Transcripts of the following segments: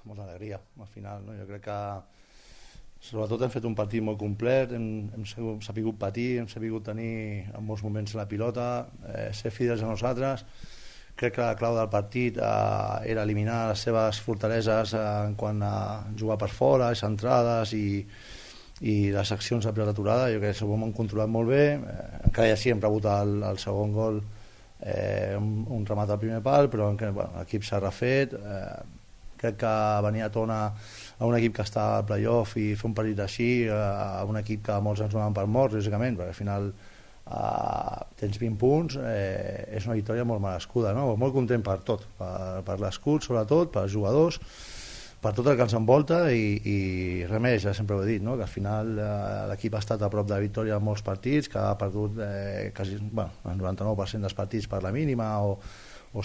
molta alegria al final, no? Jo crec que sobretot hem fet un partit molt complet, hem sabut patir, hem sabut tenir en molts moments la pilota, ser fidels a nosaltres. Crec que la clau del partit era eliminar les seves fortaleses en quant a jugar per fora, les centrades i les accions de pilota aturada. Jo crec que ho hem controlat molt bé, encara ja sí hem rebut el segon gol, un remat al primer pal, però l'equip s'ha refet. Crec que venir a Tona a un equip que està al playoff i fer un partit així, a un equip que molts ens donaven per morts, lògicament, perquè al final tens 20 punts, és una victòria molt merescuda, no? Molt content per tot, per l'escut sobretot, per els jugadors, per tot el que ens envolta i res més, ja sempre ho he dit, no? Que al final l'equip ha estat a prop de la victòria en molts partits, que ha perdut quasi, el 99% dels partits per la mínima o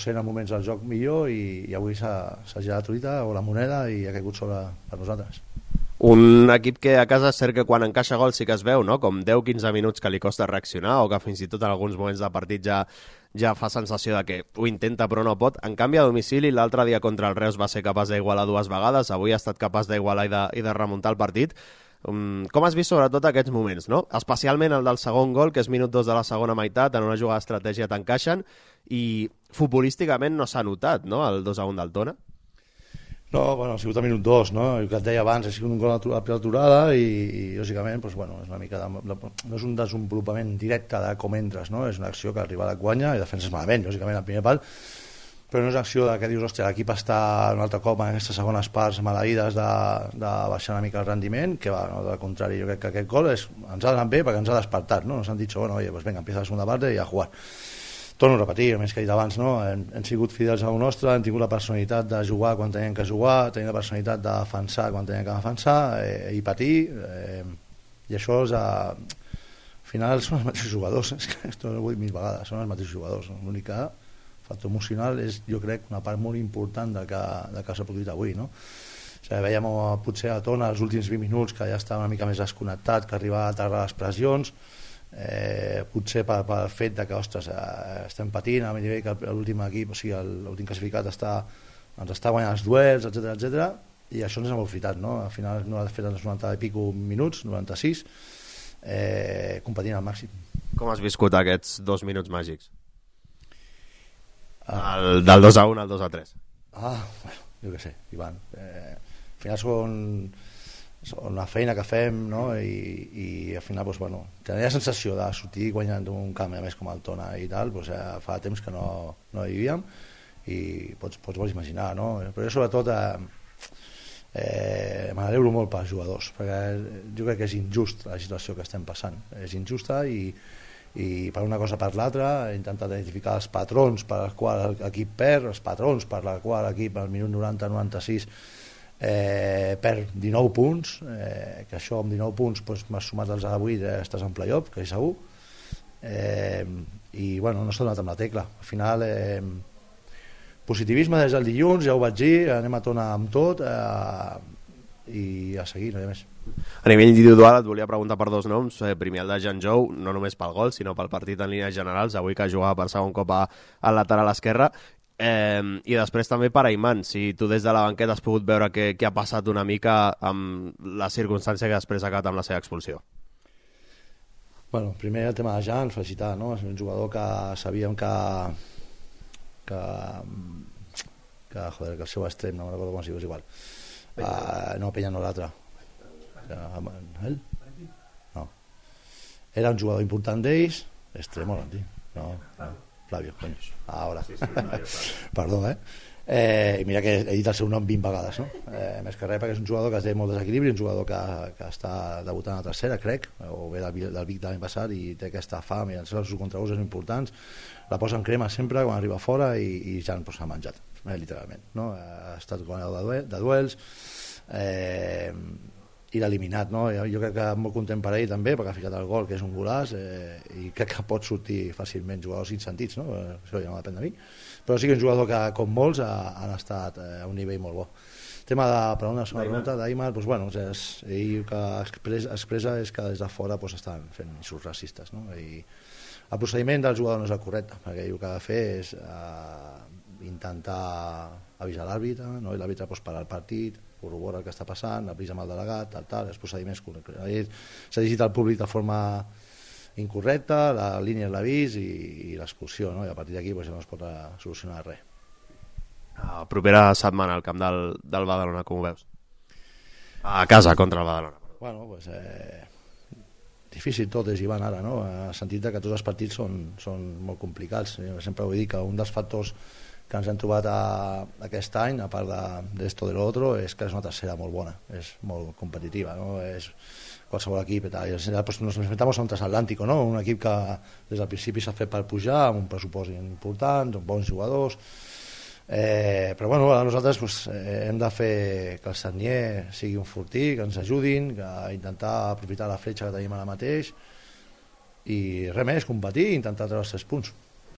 sent en moments del joc millor i avui s'ha girat la truita o la moneda i ha caigut sobre per nosaltres. Un equip que a casa és cert que quan encaixa gol sí que es veu, no? Com 10-15 minuts que li costa reaccionar o que fins i tot en alguns moments de partit ja fa sensació de que ho intenta però no pot. En canvi, a domicili, l'altre dia contra el Reus va ser capaç d'igualar 2 vegades, avui ha estat capaç d'igualar i de remuntar el partit. Com has vist sobretot aquests moments, no? Especialment el del segon gol, que és minut 2 de la segona meitat, en una jugada d'estratègia t'encaixen i futbolísticament no s'ha notat, no?, el 2-1 del Tona. No, ha sigut a minut 2, no? El que et deia abans, ha sigut un gol a pilota aturada i lògicament, és una mica no és un desenvolupament directe de com entres, no? És una acció que arriba a la guanya i defenses malament, lògicament, al primer pal, però no és una acció que dius, hòstia, l'equip està un altre cop en aquestes segones parts maleïdes de baixar una mica el rendiment, que va, no? Al contrari, jo crec que aquest gol ens ha d'anar bé perquè ens ha despertat, no? Ens han dit, bueno, oye, pues venga, empieza la segunda parte i a jugar. Torno a repetir, el més que he dit abans, no? Hem sigut fidels a lo nostre, hem tingut la personalitat de jugar quan teníem que jugar, tenim la personalitat de defensar quan teníem que defensar i patir, i això és al final són els mateixos jugadors, és que esto ho he dit 1000 vegades, són els mateixos jugadors, l'únic factor emocional és, jo crec, una part molt important del que s'ha produït avui, no? O sigui, veiem potser a Tona els últims 20 minuts que ja estava una mica més desconnectat, que arribava a terra les pressions, potser pel fet de que ostres, estem patint a nivell que l'últim equip, o sigui l'últim classificat ens està guanyant els duels, etc. I això ens ha aprofitat, no? Al final no ha fet els 90 i pico minuts, 96, competint al màxim. Com has viscut aquests 2 minuts màgics? Del 2-1 al 2-3. Bueno, jo què sé, Ivan, al final són la feina que fem, no? I al final tenia la sensació de sortir guanyant un camp a més com el Tona i tal, fa temps que no hi vivíem i pots imaginar, no? Però jo sobretot me n'alegro molt pels jugadors, perquè jo crec que és injust la situació que estem passant, és injusta i per una cosa per l'altra he intentat identificar els patrons per als quals l'equip perd, els patrons per als quals l'equip al minut 90-96 perd 19 punts, que això amb 19 punts m'has sumat els de 8, estàs en playoff, que és segur, i no s'ha donat amb la tecla. Al final positivisme des del dilluns, ja ho vaig dir, anem a Tona amb tot i a seguir, no hi ha més. A nivell individual et volia preguntar per 2 noms, primer el de Jan Jou, no només pel gol sinó pel partit en línies generals, avui que jugava per segon cop al lateral esquerre, i després també per Ayman, si tu des de la banqueta has pogut veure què ha passat una mica amb la circumstància que després ha acabat amb la seva expulsió. Primer el tema de Jan, felicitar, no? És un jugador que sabíem que el seu extrem, no recordo com es diu, és igual, no, Peña no, l'altre, ell? No, era un jugador important d'ells, extremo, no, Flavio, coño, ahora. Sí, perdó, i mira que he dit el seu nom 20 vegades, no? Més que res perquè és un jugador que té molt desequilibri, un jugador que està debutant a la tercera, crec, o ve del Vic de l'any passat i té aquesta fam i els seus contraus són importants, la posa en crema sempre quan arriba fora i ja s'ha menjat, literalment, no? Ha estat guanyador de duels i l'ha eliminat, no? Jo crec que molt content per ell també perquè ha ficat el gol, que és un golaç, i crec que pot sortir fàcilment jugadors insentits, no? Això ja no depèn de mi, però sí que és un jugador que com molts han estat a un nivell molt bo. Tema de, per una segona pregunta d'Aimar, ell que expressa és que des de fora estan fent insults racistes, no? I el procediment del jugador no és el correcte, perquè ell el que ha de fer és intentar avisa l'àrbitre, no? I l'àrbitre pues, para el partit, corrobora el que està passant, avisa amb el delegat, els procediments correctes. S'ha dirigit al públic de forma incorrecta, la línia és l'avís i l'expulsió, no? I a partir d'aquí pues, ja no es pot solucionar res. Propera setmana al camp del Badalona, com ho veus? A casa contra el Badalona. Bueno, pues, difícil tot és, Ivan, ara, no? En el sentit que tots els partits són molt complicats. Jo sempre ho he dit que un dels factors que ens hem trobat aquest any, a part d'esto de l'altre, és que és una tercera molt bona, és molt competitiva, no? És qualsevol equip i tal. Pues nos enfrentamos a un transatlántico, no? Un equip que des del principi s'ha fet per pujar, amb un pressupost important, amb bons jugadors, però bueno, nosaltres pues, hem de fer que el Sagnier sigui un fortí, que ens ajudin, que intentar aprofitar la fletxa que tenim ara mateix i res més, competir i intentar treure els 3 punts.